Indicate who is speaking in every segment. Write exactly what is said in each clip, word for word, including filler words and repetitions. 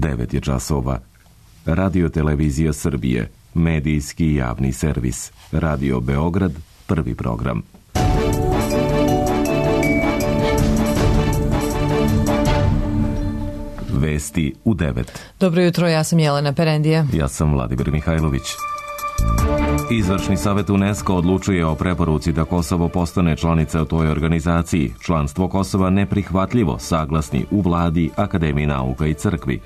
Speaker 1: devet je časova. Radio Televizija Srbije, medijski javni servis. Radio Beograd, prvi program. Vesti u devet.
Speaker 2: Dobro jutro, ja sam Jelena Perendija.
Speaker 1: Ja sam Vladimir Mihajlović. Izvršni savet UNESCO odlučuje o preporuci da Kosovo postane članica u toj organizaciji. Članstvo Kosova neprihvatljivo, saglasni u vladi, Akademiji nauka i crkvi.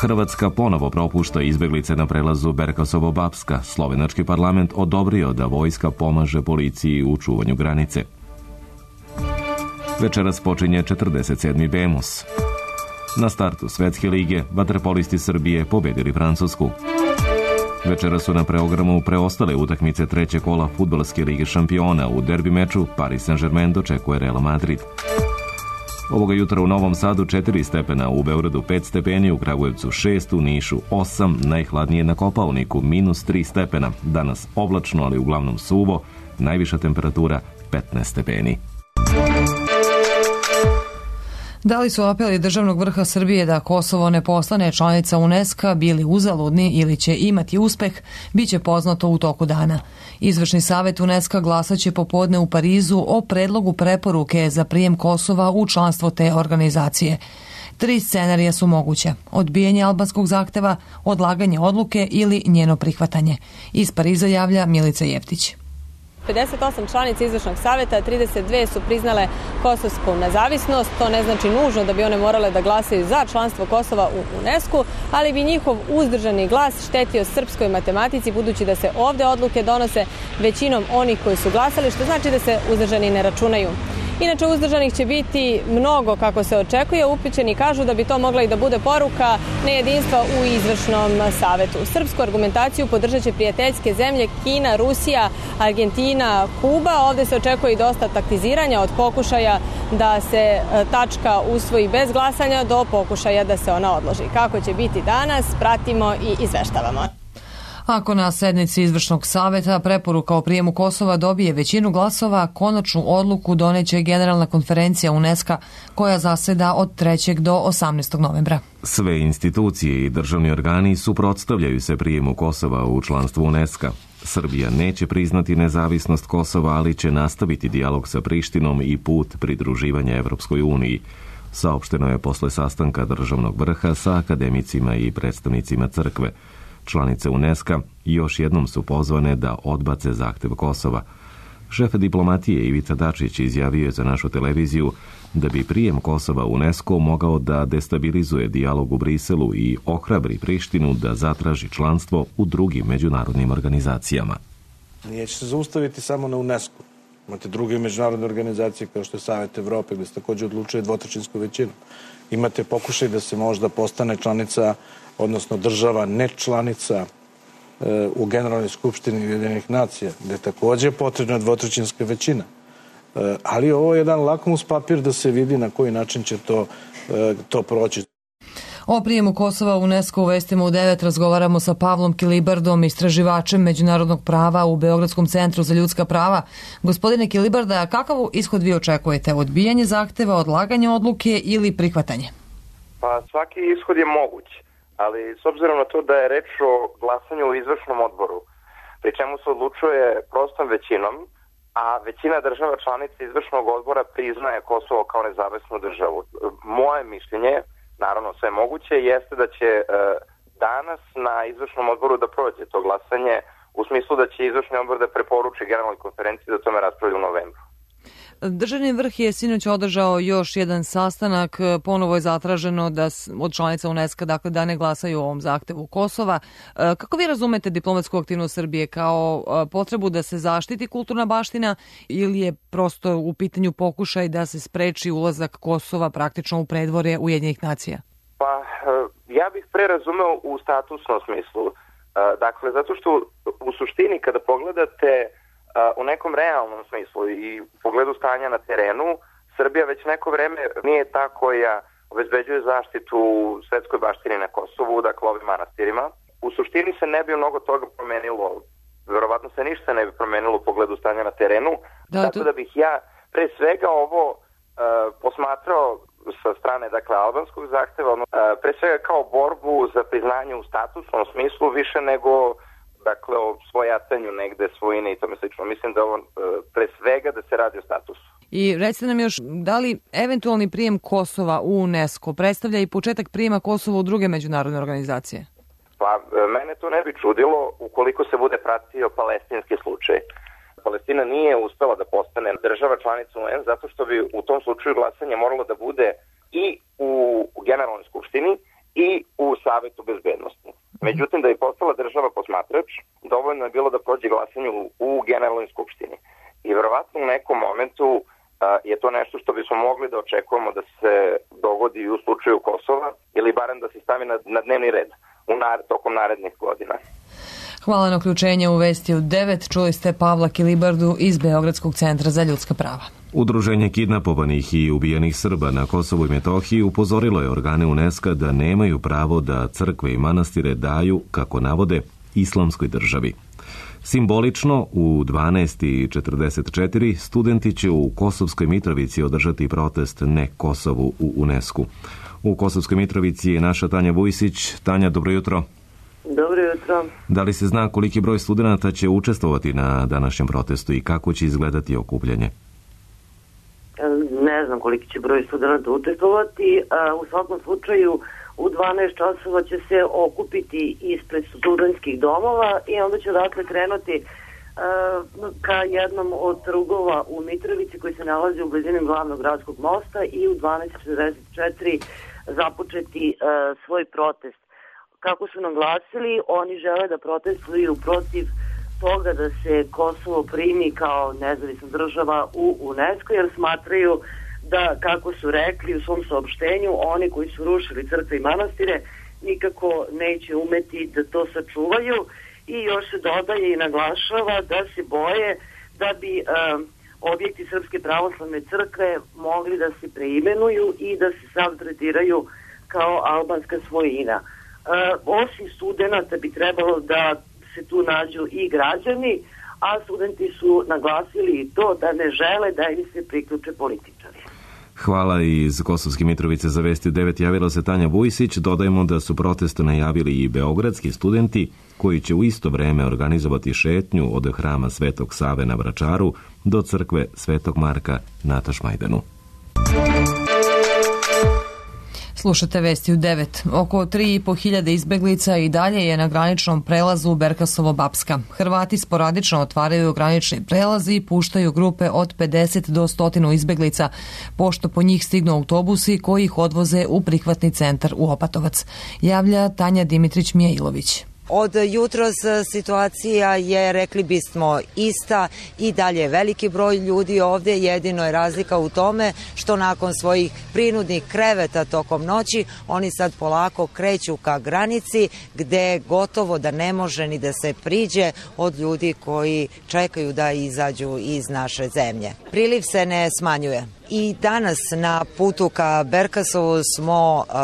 Speaker 1: Hrvatska ponovo propušta izbeglice na prelazu Berkasovo-Bapska. Slovenački parlament odobrio da vojska pomaže policiji u čuvanju granice. Večeras počinje četrdeset sedmi Bemus. Na startu Svetske lige vaterpolisti Srbije pobedili Francusku. Večera su na programu preostale utakmice trećeg kola Fudbalske lige šampiona. U derbi meču Paris Saint-Germain dočekuje Real Madrid. Ovoga jutra u Novom Sadu četiri stepena, u Beogradu pet stepeni, u Kragujevcu šest, u Nišu osam, najhladnije na Kopaoniku minus tri stepena. Danas oblačno, ali uglavnom suvo, najviša temperatura petnaest stepeni.
Speaker 2: Da li su apeli državnog vrha Srbije da Kosovo ne postane članica UNESCO bili uzaludni ili će imati uspeh, bit će poznato u toku dana. Izvršni savet UNESCO glasaće popodne u Parizu o predlogu preporuke za prijem Kosova u članstvo te organizacije. Tri scenarija su moguće: odbijanje albanskog zahteva, odlaganje odluke ili njeno prihvatanje. Iz Pariza javlja Milica Jeftić.
Speaker 3: pedeset osam članica izvršnog saveta, trideset dve su priznale kosovsku nezavisnost. To ne znači nužno da bi one morale da glasaju za članstvo Kosova u UNESCO, ali bi njihov uzdržani glas štetio srpskoj matematici, budući da se ovde odluke donose većinom onih koji su glasali, što znači da se uzdržani ne računaju. Inače, uzdržanih će biti mnogo kako se očekuje. Upućeni kažu da bi to mogla i da bude poruka nejedinstva u izvršnom savetu. Srpsku argumentaciju podržat će prijateljske zemlje Kina, Rusija, Argentina, Kuba. Ovde se očekuje i dosta taktiziranja, od pokušaja da se tačka usvoji bez glasanja do pokušaja da se ona odloži. Kako će biti danas, pratimo i izveštavamo.
Speaker 2: Ako na sednici izvršnog saveta preporuka o prijemu Kosova dobije većinu glasova, konačnu odluku doneće Generalna konferencija UNESCO koja zaseda od trećeg do osamnaestog novembra.
Speaker 1: Sve institucije i državni organi suprotstavljaju se prijemu Kosova u članstvo UNESCO. Srbija neće priznati nezavisnost Kosova, ali će nastaviti dijalog sa Prištinom i put pridruživanja Evropskoj uniji. Saopšteno je posle sastanka državnog vrha sa akademicima i predstavnicima crkve. Članice UNESCO još jednom su pozvane da odbace zahtev Kosova. Šef diplomatije Ivica Dačić izjavio je za našu televiziju da bi prijem Kosova u UNESCO mogao da destabilizuje dijalog u Briselu i ohrabri Prištinu da zatraži članstvo u drugim međunarodnim organizacijama.
Speaker 4: Neće se zaustaviti samo na UNESCO. Imate druge međunarodne organizacije kao što je Savet Evrope, gde se takođe odlučuje dvotrećinsku većinu. Imate pokušaj da se možda postane članica, odnosno država ne članica e, u Generalnoj skupštini Ujedinjenih nacija, gde je takođe potrebna dvotrećinska većina. E, ali ovo je jedan lakmus papir da se vidi na koji način će to, e, to proći.
Speaker 2: O prijemu Kosova u UNESCO u Vestima u devet razgovaramo sa Pavlom Kilibardom, istraživačem međunarodnog prava u Beogradskom centru za ljudska prava. Gospodine Kilibarda, kakav ishod vi očekujete? Odbijanje zahteva, odlaganje odluke ili prihvatanje?
Speaker 5: Pa svaki ishod je moguć, ali s obzirom na to da je reč o glasanju u izvršnom odboru, pri čemu se odlučuje prostom većinom, a većina država članica izvršnog odbora priznaje Kosovo kao nezavisnu državu. Moje mišljenje, naravno sve moguće, jeste da će e, danas na izvršnom odboru da prođe to glasanje, u smislu da će izvršni odbor da preporuči Generalnoj konferenciji da tome raspravlja u novembru.
Speaker 2: Državni vrh je sinoć održao još jedan sastanak. Ponovo je zatraženo da od članica UNESCO dakle, da ne glasaju o ovom zahtevu Kosova. Kako vi razumete diplomatsku aktivnost Srbije? Kao potrebu da se zaštiti kulturna baština ili je prosto u pitanju pokušaj da se spreči ulazak Kosova praktično u predvorje Ujedinjenih nacija?
Speaker 5: Pa ja bih pre razumeo u statusnom smislu. Dakle, zato što u suštini kada pogledate u nekom realnom smislu i u pogledu stanja na terenu, Srbija već neko vreme nije ta koja obezbeđuje zaštitu svetskoj baštini na Kosovu, dakle ovim manastirima. U suštini se ne bi mnogo toga promenilo, verovatno se ništa ne bi promenilo u pogledu stanja na terenu, da, tako to... da bih ja pre svega ovo uh, posmatrao sa strane, dakle, albanskog zahteva, ono, pre svega kao borbu za priznanje u statusnom smislu više nego, dakle, o svojatanju negde svojine i tome slično. Mislim da ovo pre svega da se radi o statusu.
Speaker 2: I recite nam još, da li eventualni prijem Kosova u UNESCO predstavlja i početak prijema Kosova u druge međunarodne organizacije?
Speaker 5: Pa, mene to ne bi čudilo ukoliko se bude pratio palestinski slučaj. Palestina nije uspela da postane država članica U N zato što bi u tom slučaju glasanje moralo da bude i u Generalnoj skupštini i u Savetu bezbednosti. Međutim, da bi postala država posmatrač, dovoljno je bilo da prođe glasanje u, u Generalnoj skupštini. I verovatno u nekom momentu a, je to nešto što bismo mogli da očekujemo da se dogodi i u slučaju Kosova ili barem da se stavi na, na dnevni red u nar, tokom narednih godina.
Speaker 2: Hvala na uključenje u Vesti u devet. Čuli ste Pavla Kilibardu iz Beogradskog centra za ljudska prava.
Speaker 1: Udruženje kidnapovanih i ubijenih Srba na Kosovu i Metohiji upozorilo je organe UNESCO da nemaju pravo da crkve i manastire daju, kako navode, islamskoj državi. Simbolično, u dvanaest i četrdeset četiri studenti će u Kosovskoj Mitrovici održati protest Ne Kosovu u UNESCO. U Kosovskoj Mitrovici je naša Tanja Vujsić. Tanja, dobro jutro.
Speaker 6: Dobro jutro.
Speaker 1: Da li se zna koliki broj studenata će učestvovati na današnjem protestu i kako će izgledati okupljanje?
Speaker 6: Ne znam koliki će broj studenata učestvovati. U svakom slučaju u dvanaest časova će se okupiti ispred studentskih domova i onda će dakle krenuti ka jednom od trugova u Mitrovici koji se nalazi u blizini glavnog gradskog mosta i u dvanaest četrdeset četiri započeti svoj protest. Kako su naglasili, oni žele da protestuju protiv toga da se Kosovo primi kao nezavisna država u UNESCO, jer smatraju da, kako su rekli u svom saopštenju, oni koji su rušili crkve i manastire nikako neće umeti da to sačuvaju i još se dodaje i naglašava da se boje da bi um, objekti Srpske pravoslavne crkve mogli da se preimenuju i da se sad tretiraju kao albanska svojina. Uh, osim studenata bi trebalo da se tu nađu i građani, a studenti su naglasili i to da ne žele da im se priključe političari.
Speaker 1: Hvala. Iz Kosovske Mitrovice za Vesti u devet javila se Tanja Vujsić. Dodajemo da su protest najavili i beogradski studenti koji će u isto vreme organizovati šetnju od hrama Svetog Save na Vračaru do crkve Svetog Marka na Tašmajdanu.
Speaker 2: Slušate Vesti u devet. Oko tri i po hiljade izbeglica i dalje je na graničnom prelazu Berkasovo-Bapska. Hrvati sporadično otvaraju granični prelaz i puštaju grupe od pedeset do sto izbeglica, pošto po njih stignu autobusi koji ih odvoze u prihvatni centar u Opatovac. Javlja Tanja Dimitrić-Mijailović.
Speaker 7: Od jutros situacija je, rekli bismo, ista i dalje veliki broj ljudi ovdje, jedino je razlika u tome što nakon svojih prinudnih kreveta tokom noći oni sad polako kreću ka granici gde gotovo da ne može ni da se priđe od ljudi koji čekaju da izađu iz naše zemlje. Priliv se ne smanjuje. I danas na putu ka Berkasovu smo uh,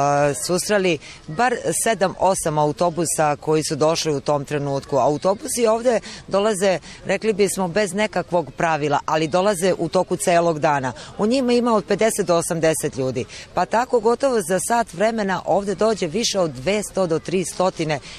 Speaker 7: susreli bar sedam osam autobusa koji su došli u tom trenutku. Autobusi ovdje dolaze, rekli bismo, bez nekakvog pravila, ali dolaze u toku celog dana. U njima ima od pedeset do osamdeset ljudi. Pa tako gotovo za sat vremena ovdje dođe više od dvesta do tristo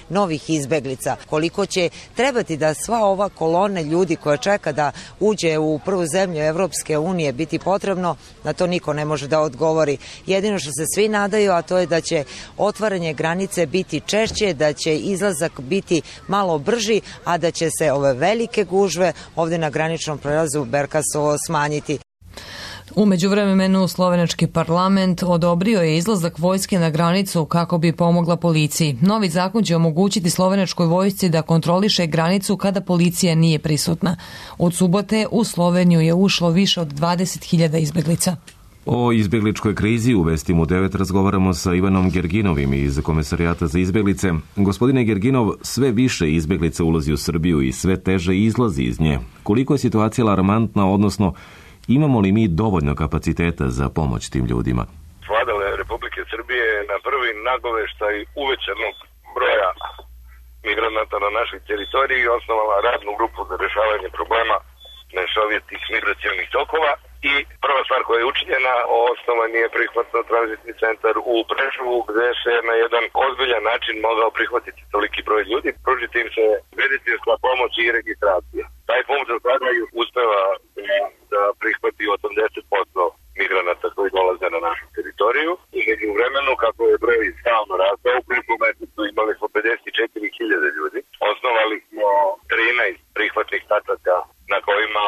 Speaker 7: novih izbeglica. Koliko će trebati da sva ova kolona ljudi koja čeka da uđe u prvu zemlju Evropske unije biti potrebno, na to niko ne može da odgovori. Jedino što se svi nadaju, a to je da će otvaranje granice biti češće, da će izlazak biti malo brži, a da će se ove velike gužve ovdje na graničnom prelazu Berkasovo smanjiti.
Speaker 2: U međuvremenu slovenački parlament odobrio je izlazak vojske na granicu kako bi pomogla policiji. Novi zakon će omogućiti slovenačkoj vojsci da kontroliše granicu kada policija nije prisutna. Od subote u Sloveniju je ušlo više od dvadeset hiljada izbeglica.
Speaker 1: O izbjegličkoj krizi u Vestima u devet razgovaramo sa Ivanom Gerginovim iz Komesarijata za izbjeglice. Gospodine Gerginov, sve više izbjeglica ulazi u Srbiju i sve teže izlazi iz nje. Koliko je situacija alarmantna, odnosno imamo li mi dovoljno kapaciteta za pomoć tim ljudima?
Speaker 8: Vlada Republike Srbije na prvi nagoveštaj uvećanog broja migranata na našoj teritoriji osnovala radnu grupu za rešavanje problema mešovitih migracijalnih tokova i prva stvar koja je učinjena, osnovan je prihvatno-tranzitni centar u Preševu, gde se na jedan ozbiljan način mogao prihvatiti toliki broj ljudi, pružiti im se medicinska pomoć i registracija. Taj punkt za sada uspeva da prihvati osamdeset posto migranata koji dolaze na našu teritoriju i među vremenu, kako je broj stalno rastao, u prvom mesecu imali smo pedeset četiri hiljade ljudi. Osnovali smo trinaest prihvatnih tačaka na kojima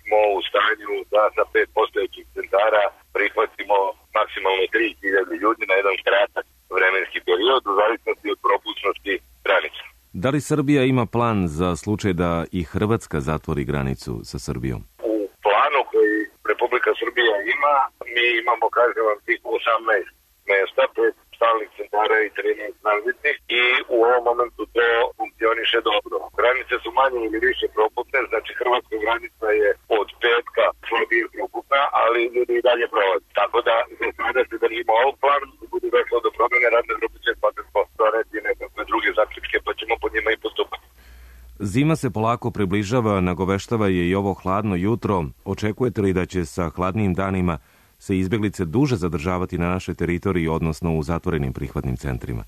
Speaker 8: smo u stanju da sa pet postojećih centara prihvatimo maksimalno tri hiljade ljudi na jedan kratak vremenski period u zavisnosti od propusnosti granica.
Speaker 1: Da li Srbija ima plan za slučaj da i Hrvatska zatvori granicu sa Srbijom?
Speaker 8: U planu koji Republika Srbija ima, mi imamo, kažem vam, tih osamnaest mesta, pet stalnih centara i trinaest tranzitnih i u ovom momentu to funkcioniše dobro. Granice su manje ili više proputne, znači hrvatska granica je od petka slabije proputna, ali ljudi i dalje prolaze. Tako da za sada se držimo ovog plana, da bude došlo do promjene radne grupe će svakako doneti nekakve druge zaključke, pa ćemo po njima i postupati.
Speaker 1: Zima se polako približava, nagoveštava je i ovo hladno jutro. Očekujete li da će sa hladnijim danima se izbjeglice duže zadržavati na našoj teritoriji, odnosno u zatvorenim prihvatnim centrima?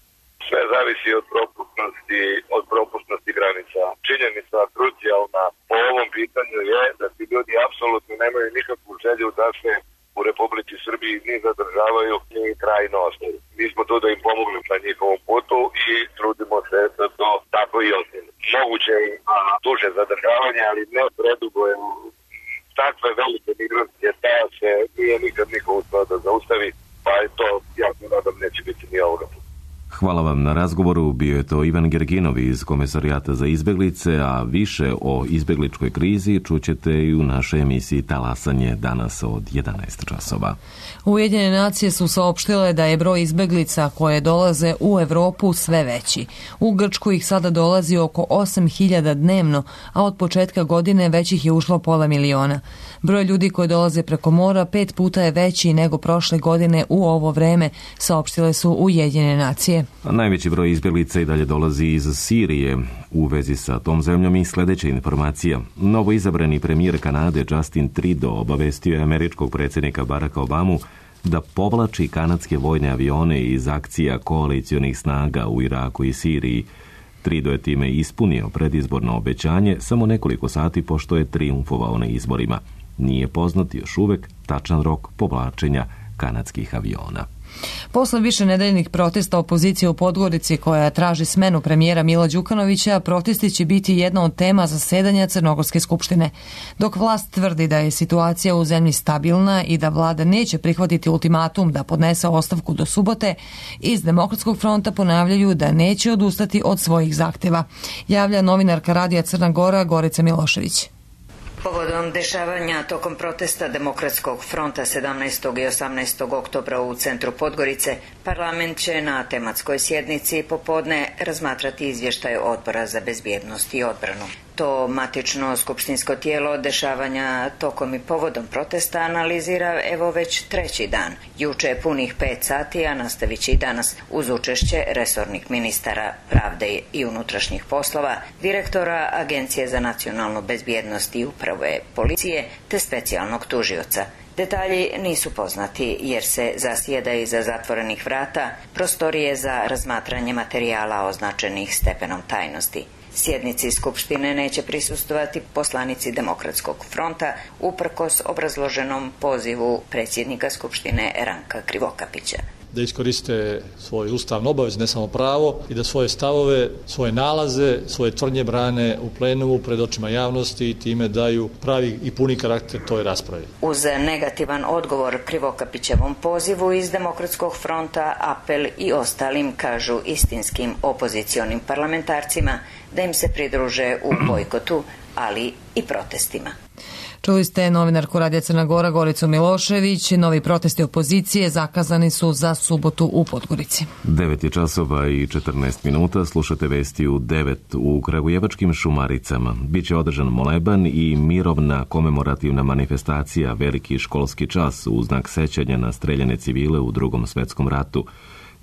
Speaker 8: Sve zavisi od propusnosti, od propusnosti granica. Činjenica krucijalna po ovom pitanju je da ti ljudi apsolutno nemaju nikakvu želju da se u Republici Srbiji ni zadržavaju ni trajno ostaju. Mi smo tu da im pomogli na njihovom putu i trudimo se da to tako i ostane. Moguće je duže zadržavanje, ali ne predugo je. Takve velike migracije staja se nije nikad niko uspio da zaustavi, pa je to, ja se nadam, neće biti ni ovoga.
Speaker 1: Hvala vam na razgovoru. Bio je to Ivan Gerginov iz Komesarijata za izbjeglice, a više o izbjegličkoj krizi čućete i u našoj emisiji Talasanje danas od jedanaest časova.
Speaker 2: Ujedinjene nacije su saopštile da je broj izbjeglica koje dolaze u Evropu sve veći. U Grčku ih sada dolazi oko osam hiljada dnevno, a od početka godine već ih je ušlo pola miliona. Broj ljudi koji dolaze preko mora pet puta je veći nego prošle godine u ovo vreme, saopštile su Ujedinjene nacije.
Speaker 1: A najveći broj izbjeglica i dalje dolazi iz Sirije. U vezi sa tom zemljom i sljedeća informacija. Novo izabrani premijer Kanade Justin Trudeau obavestio je američkog predsjednika Baracka Obamu da povlači kanadske vojne avione iz akcija koalicionih snaga u Iraku i Siriji. Trudeau je time ispunio predizborno obećanje samo nekoliko sati pošto je trijumfovao na izborima. Nije poznat još uvek tačan rok povlačenja kanadskih aviona.
Speaker 2: Posle više nedeljnih protesta opozicije u Podgorici koja traži smenu premijera Mila Đukanovića, protesti će biti jedna od tema zasedanja Crnogorske skupštine. Dok vlast tvrdi da je situacija u zemlji stabilna i da vlada neće prihvatiti ultimatum da podnese ostavku do subote, iz Demokratskog fronta ponavljaju da neće odustati od svojih zahteva. Javlja novinarka Radija Crna Gora Gorica Milošević.
Speaker 9: Povodom dešavanja tokom protesta Demokratskog fronta sedamnaestog i osamnaestog oktobra u centru Podgorice, parlament će na tematskoj sjednici popodne razmatrati izvještaj Odbora za bezbjednost i odbranu. To matično skupštinsko tijelo dešavanja tokom i povodom protesta analizira evo već treći dan. Juče je punih pet sati, a nastavit će i danas uz učešće resornih ministara pravde i unutrašnjih poslova, direktora Agencije za nacionalnu bezbjednost i uprave policije te specijalnog tužioca. Detalji nisu poznati jer se zasjeda iza zatvorenih vrata, prostorije za razmatranje materijala označenih stepenom tajnosti. Sjednici Skupštine neće prisustvovati poslanici Demokratskog fronta uprkos obrazloženom pozivu predsjednika Skupštine Ranka Krivokapića.
Speaker 10: Da iskoriste svoj ustavnu obavez, ne samo pravo, i da svoje stavove, svoje nalaze, svoje tvrdnje brane u plenumu pred očima javnosti i time daju pravi i puni karakter toj raspravi.
Speaker 9: Uz negativan odgovor Krivokapićevom pozivu iz Demokratskog fronta, apel i ostalim, kažu istinskim opozicionim parlamentarcima, da im se pridruže u bojkotu, ali i protestima.
Speaker 2: Čuli ste novinarku Radija Crna Gora Goricu Milošević. Novi protesti opozicije zakazani su za subotu u Podgorici.
Speaker 1: devet je časova i četrnaest minuta. Slušate vesti u devet. U Kragujevačkim Šumaricama biće održan moleban i mirovna komemorativna manifestacija Veliki školski čas u znak sećanja na streljane civile u Drugom svetskom ratu.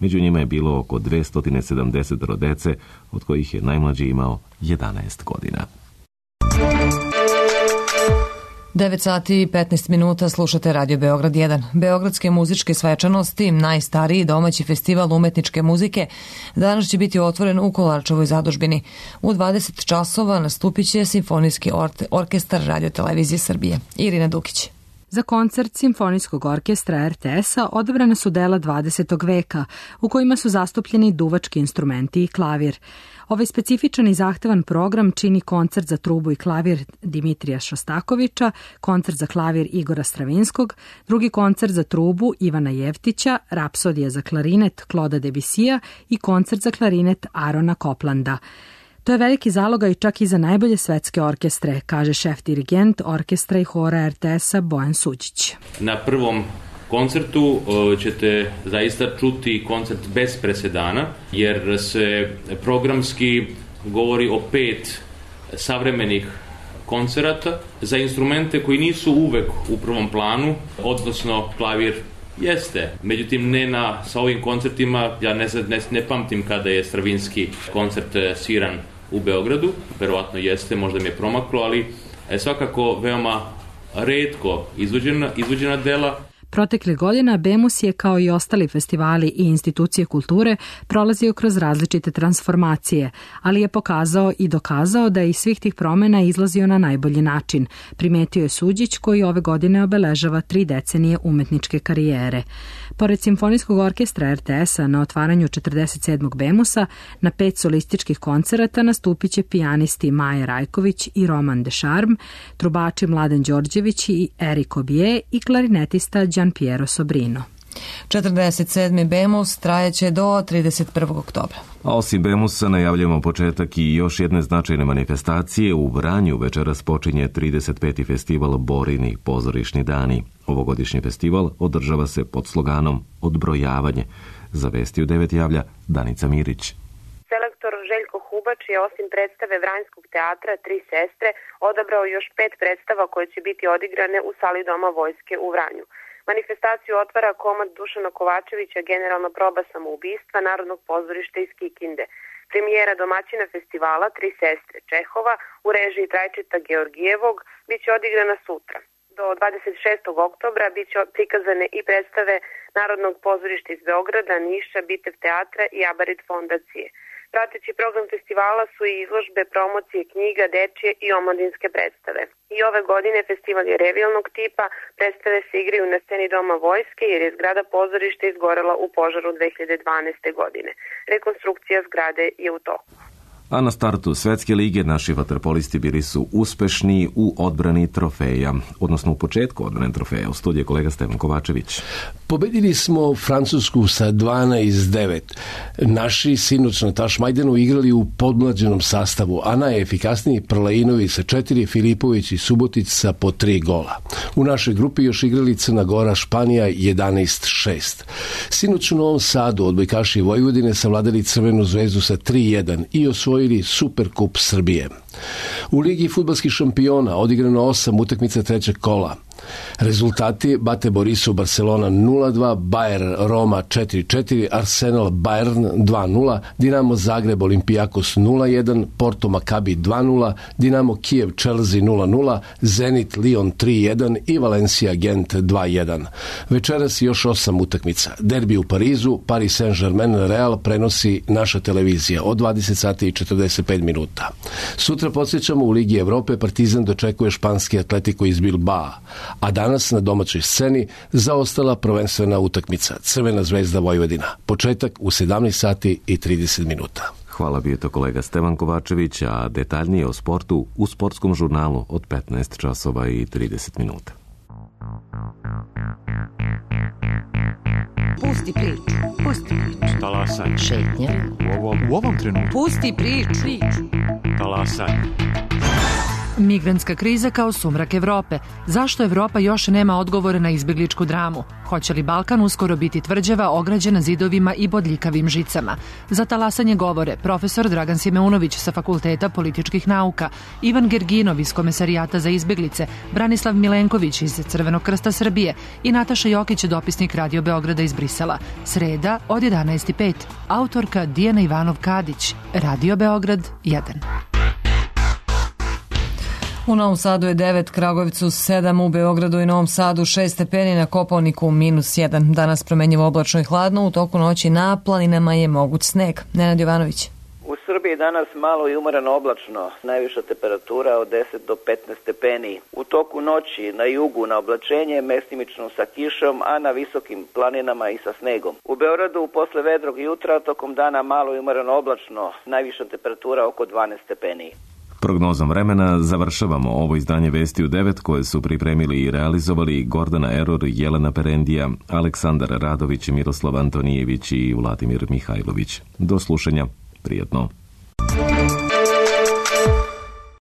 Speaker 1: Među njima je bilo oko dvesta sedamdeset dece, od kojih je najmlađi imao jedanaest godina.
Speaker 2: devet sati i petnaest minuta slušate Radio Beograd jedan. Beogradske muzičke svečanosti, najstariji domaći festival umetničke muzike, danas će biti otvoren u Kolarčevoj zadužbini. U dvadeset časova nastupit će Simfonijski or- orkestar Radio Televizije Srbije. Irina Dukić.
Speaker 11: Za koncert Simfonijskog orkestra er te es-a odabrana su dela dvadesetog veka, u kojima su zastupljeni duvački instrumenti i klavir. Ovaj specifičan i zahtevan program čini koncert za trubu i klavir Dimitrija Šostakovića, koncert za klavir Igora Stravinskog, drugi koncert za trubu Ivana Jevtića, rapsodija za klarinet Kloda Debisija i koncert za klarinet Arona Koplanda. To je veliki zalogaj čak i za najbolje svetske orkestre, kaže šef dirigent orkestra i hora er te es-a Bojan Suđić.
Speaker 12: Na prvom koncertu ćete zaista čuti koncert bez presedana, jer se programski govori o pet savremenih koncerata za instrumente koji nisu uvek u prvom planu, odnosno klavir jeste. Međutim, ne na, sa ovim koncertima, ja ne, ne, ne pamtim kada je Stravinski koncert sviran u Beogradu, verovatno jeste, možda mi je promaklo, ali je svakako veoma retko izvođena, izvođena dela.
Speaker 11: Proteklih godina Bemus je, kao i ostali festivali i institucije kulture, prolazio kroz različite transformacije, ali je pokazao i dokazao da je iz svih tih promena izlazio na najbolji način, primetio je Suđić, koji ove godine obeležava tri decenije umetničke karijere. Pored Simfonijskog orkestra er te es-a na otvaranju četrdeset sedmog Bemusa, na pet solističkih koncerata nastupit će pijanisti Maja Rajković i Roman Dešarm, trubači Mladen Đorđević i Erik Obije i klarinetista Gian Piero Sobrino.
Speaker 2: četrdeset sedmi Bemus trajeće do trideset prvog oktobra.
Speaker 1: A osim Bemusa najavljamo početak i još jedne značajne manifestacije. U Vranju večeras počinje trideset peti festival Borini pozorišni dani. Ovogodišnji festival održava se pod sloganom Odbrojavanje. Za vesti u devet javlja Danica Mirić.
Speaker 13: Selektor Željko Hubač je osim predstave Vranjskog teatra Tri sestre odabrao još pet predstava koje će biti odigrane u sali Doma vojske u Vranju. Manifestaciju otvara komad Dušana Kovačevića Generalna proba samoubistva Narodnog pozorišta iz Kikinde. Premijera domaćina festivala Tri sestre Čehova u režiji Trajčeta Georgijevog biće odigrana sutra. Do dvadeset šestog oktobra biće prikazane i predstave Narodnog pozorišta iz Beograda, Niša, Bitev teatra i Abarit fondacije. Prateći program festivala su i izložbe, promocije knjiga, dečije i omladinske predstave. I ove godine festival je revijalnog tipa, predstave se igraju na sceni Doma vojske jer je zgrada pozorišta izgorela u požaru dve hiljade dvanaeste. godine. Rekonstrukcija zgrade je u toku.
Speaker 1: A na startu Svetske lige naši vaterpolisti bili su uspešni u odbrani trofeja, odnosno u početku odbrane trofeja. U studiju kolega Stevan Kovačević.
Speaker 14: Pobedili smo Francusku sa dvanaest devet. Naši sinoć na Tašmajdenu igrali u podmlađenom sastavu, a najefikasniji Prlainovi sa četiri, Filipović i Subotić sa po tri gola. U našoj grupi još igrali Crna Gora, Španija jedanaest šest. Sinoć u Novom Sadu odbojkaši Vojvodine savladali Crvenu zvezdu sa tri jedan i osvojili Superkup Srbije. U Ligi fudbalskih šampiona odigrano osam utakmica trećeg kola. Rezultati: Bate Borisov Barcelona nula dva, Bayer Roma četiri četiri, Arsenal Bayern dva nula, Dinamo Zagreb Olimpijakos nula jedan, Porto Makabi dva nula, Dinamo Kijev Chelsea nula nula, Zenit Lyon tri jedan i Valencia Gent dva jedan. Večeras još osam utakmica. Derbi u Parizu, Paris Saint-Germain Real prenosi naša televizija od dvadeset sati i četrdeset pet minuta. Sutra podsjećamo u Ligi Evrope Partizan dočekuje španski Atletico iz Bilbao, a danas na domaćoj sceni zaostala prvenstvena utakmica Crvena zvezda Vojvodina. Početak u sedamnaest sati i trideset minuta.
Speaker 1: Hvala, bio to kolega Stevan Kovačević, a detaljnije o sportu u sportskom žurnalu od petnaest časova i trideset minuta.
Speaker 15: Pusti priču, pusti priču.
Speaker 16: Talasaj.
Speaker 15: Šetnja.
Speaker 16: U ovom, u ovom trenutku.
Speaker 15: Pusti priču.
Speaker 16: Talasaj.
Speaker 17: Migrantska kriza kao sumrak Evrope. Zašto Evropa još nema odgovore na izbjegličku dramu? Hoće li Balkan uskoro biti tvrđava ograđena zidovima i bodljikavim žicama? Za talasanje govore profesor Dragan Simeunović sa Fakulteta političkih nauka, Ivan Gerginov iz Komesarijata za izbjeglice, Branislav Milenković iz Crvenog krsta Srbije i Nataša Jokić, dopisnik Radio Beograda iz Brisela. Sreda od jedanaest i pet. Autorka Dijana Ivanov Kadić. Radio Beograd jedan.
Speaker 2: U Novom Sadu je devet, Kragujevcu sedam, u Beogradu i Novom Sadu šest stepeni, na Kopaoniku minus jedan. Danas promenjivo oblačno i hladno, u toku noći na planinama je moguć sneg. Nenad Jovanović.
Speaker 18: U Srbiji danas malo i umoreno oblačno, najviša temperatura od deset do petnaest stepeni. U toku noći na jugu na oblačenje, mestimično sa kišom, a na visokim planinama i sa snegom. U Beogradu posle vedrog jutra tokom dana malo i umoreno oblačno, najviša temperatura oko dvanaest stepeni.
Speaker 1: Prognozom vremena završavamo ovo izdanje Vesti u devet koje su pripremili i realizovali Gordana Eror, Jelena Perendija, Aleksandar Radović, Miroslav Antonijević i Vladimir Mihajlović. Do slušanja. Prijetno.